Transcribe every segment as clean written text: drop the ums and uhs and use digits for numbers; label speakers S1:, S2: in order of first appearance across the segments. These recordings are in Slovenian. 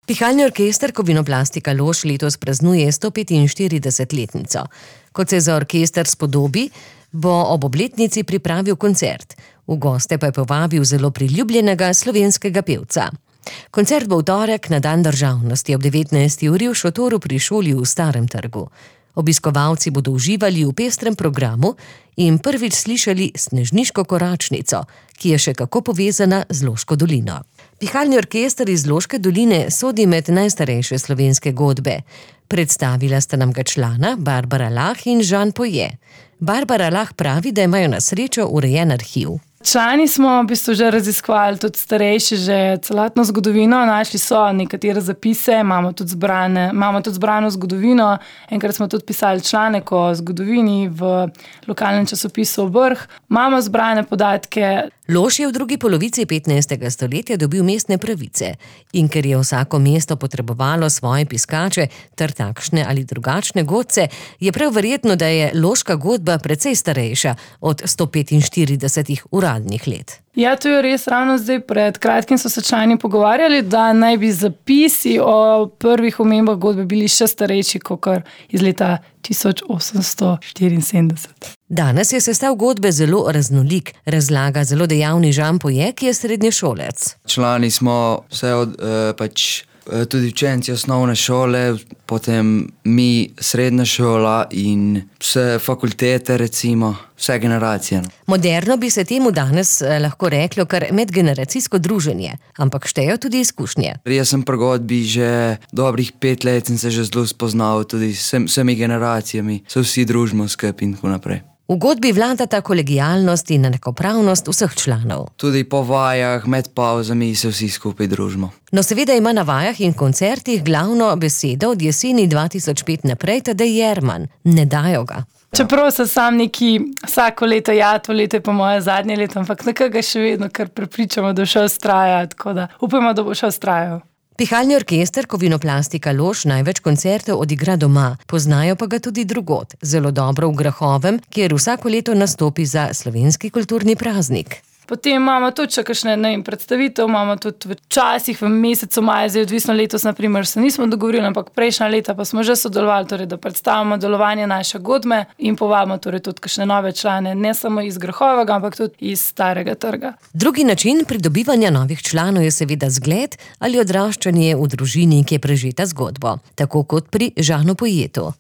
S1: Pihalni orkester Kovinoplastika Lož letos praznuje 145-letnico. Kot se za orkester spodobi, bo ob obletnici pripravil koncert. V goste pa je povabil zelo priljubljenega slovenskega pevca. Koncert bo v torek na dan državnosti ob 19. uri v šotoru pri šoli v Starem trgu. Obiskovalci bodo uživali v pestrem programu in prvič slišali Snežniško koračnico, ki je še kako povezana z Loško dolino. Pihalni orkester iz Loške doline sodi med najstarejše slovenske godbe. Predstavila sta nam ga člana Barbara Lah in Žan Poje. Barbara Lah pravi, da imajo na srečo urejen arhiv.
S2: Člani smo v bistvu že raziskovali tudi starejši, že celotno zgodovino, našli so nekatere zapise, imamo tudi zbrano zgodovino. Enkrat smo tudi pisali članek o zgodovini v lokalnem časopisu Vrh. Imamo zbrane podatke.
S1: Lož je v drugi polovici 15. stoletja dobil mestne pravice in ker je vsako mesto potrebovalo svoje piskače ter takšne ali drugačne godce, je prav verjetno, da je loška godba precej starejša od 145 uradnih let.
S2: Ja, to je res. Ravno zdaj pred kratkim so se člani pogovarjali, da naj bi zapisi o prvih omembah godbe bili še starejši kot iz leta 1874.
S1: Danes je sestav godbe zelo raznolik, razlaga zelo dejavni Žan Poje, ki je srednješolec.
S3: Člani smo vse tudi učenci osnovne šole, potem mi srednja šola in vse fakultete, recimo, vse generacije.
S1: Moderno bi se temu danes lahko reklo kar medgeneracijsko druženje, ampak štejo tudi izkušnje.
S3: Jaz sem pri godbi že dobrih 5 let in se že zelo spoznal tudi s vsemi generacijami, se vsi družimo skupaj in tako naprej.
S1: V godbi vladata kolegijalnost in enakopravnost vseh članov.
S3: Tudi po vajah, med pavzami se vsi skupaj družimo.
S1: No, seveda ima na vajah in koncertih glavno besedo od jeseni 2005 naprej Tadej Jerman. Ne dajo ga.
S2: Čeprav se sam neki vsako leto, to leto je pa moje zadnje leto, ampak nekega še vedno kar prepričamo, da bo šel vztrajati, tako da upamo, da bo šel vztrajal.
S1: Pihalni orkester Kovinoplastika Lož največ koncertov odigra doma, poznajo pa ga tudi drugod, zelo dobro v Grahovem, kjer vsako leto nastopi za slovenski kulturni praznik.
S2: Potem imamo tudi še kakšne predstavitev, imamo tudi včasih v mesecu maja, zdaj odvisno letos, naprimer, se nismo dogovorili, ampak prejšnja leta pa smo že sodelovali, torej, da predstavimo delovanje naše godbe in povabimo torej tudi kakšne nove člane, ne samo iz Grahovega, ampak tudi iz Starega trga.
S1: Drugi način pridobivanja novih članov je seveda zgled ali odraščanje v družini, ki je prežeta zgodbo, tako kot pri Žanu Pojetu.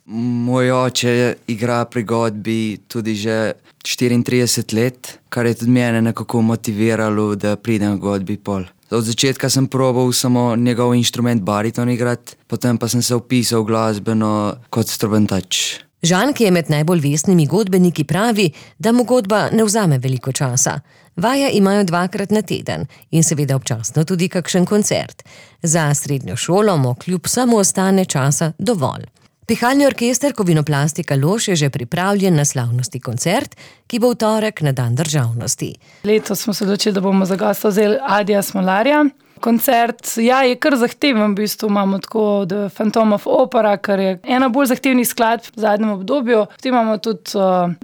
S3: Moj oče igra pri godbi tudi že 34 let, kar je tudi mene nekako motiviralo, da pridem v godbi pol. Od začetka sem probal samo njegov inštrument bariton igrati, potem pa sem se vpisal glasbeno kot strobentač.
S1: Žan, ki je med najbolj vestnimi godbeniki, pravi, da mu godba ne vzame veliko časa. Vaje imajo 2-krat na teden in seveda občasno tudi kakšen koncert. Za srednjo šolo mu kljub samo ostane časa dovolj. Pihalni orkester Kovinoplastika Lož je že pripravljen na slavnosti koncert, ki bo v torek na dan državnosti.
S2: Letos smo se odločili, da bomo za gosta vzeli Adija Smolarja. Koncert, je kar zahteven, v bistvu imamo tako The Phantom of Opera, kar je ena bolj zahtevnih skladb v zadnjem obdobju. Potem imamo tudi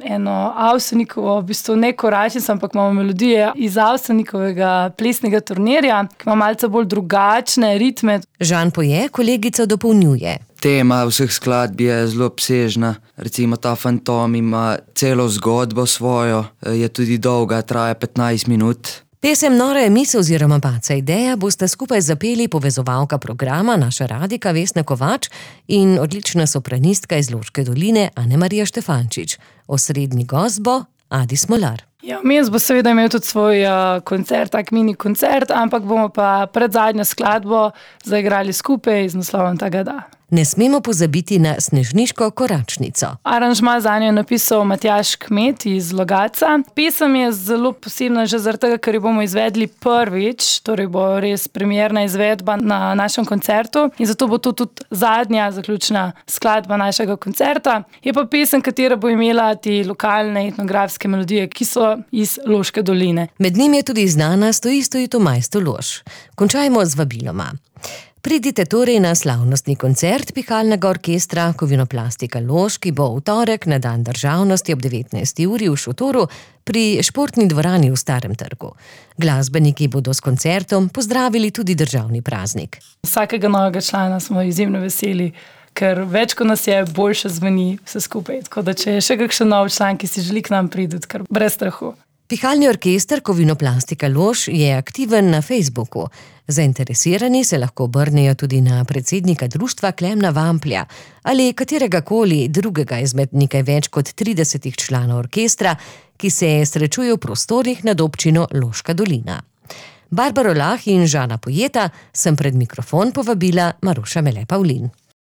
S2: eno Avsenikovo, v bistvu ne koračnico, ampak imamo melodije iz Avsenikovega plesnega turnirja, ki ima malce bolj drugačne ritme.
S1: Žan Poje kolegico dopolnjuje.
S3: Tema vseh skladb je zelo obsežna, recimo ta Fantom ima celo zgodbo svojo, je tudi dolga, traja 15 minut.
S1: Pesem Nora je misel oziroma Baca ideja bosta skupaj zapeli povezovalka programa, naša radika Vesna Kovač in odlična sopranistka iz Loške doline Ane-Marija Štefančič. Osrednji gost bo Adi Smolar.
S2: Vmes bo seveda imel tudi svoj koncert, tak mini koncert, ampak bomo pa pred zadnjo skladbo zaigrali skupaj z naslovom Tega da.
S1: Ne smemo pozabiti na Snežniško koračnico.
S2: Aranžma zanjo je napisal Matjaž Kmet iz Logatca. Pesem je zelo posebna že zaradi tega, ker jo bomo izvedli prvič, torej bo res premierna izvedba na našem koncertu in zato bo to tudi zadnja zaključna skladba našega koncerta. Je pa pesem, katera bo imela te lokalne etnografske melodije, ki so iz Loške doline.
S1: Med njim je tudi znana Stoji to majsto Lož. Končajmo z vabiloma. Pridite torej na slavnostni koncert Pihalnega orkestra Kovinoplastika Lož, ki bo v torek na dan državnosti ob 19. uri v Šotoru pri športni dvorani v Starem trgu. Glasbeniki bodo s koncertom pozdravili tudi državni praznik.
S2: Vsakega novega člana smo izjemno veseli, ker več kot nas je, boljše zveni vse skupaj. Tako da če je še kakšen nov član, ki si želi k nam priti, kar brez strahu.
S1: Pihalni orkester Kovinoplastika Lož je aktiven na Facebooku. Zainteresirani se lahko obrnejo tudi na predsednika društva Klemna Vamplja ali kateregakoli drugega izmed nekaj več kot 30 članov orkestra, ki se srečujejo v prostorih nad občino Loška dolina. Barbaro Lah in Žana Pojeta sem pred mikrofon povabila Maruša Mele Pavlin.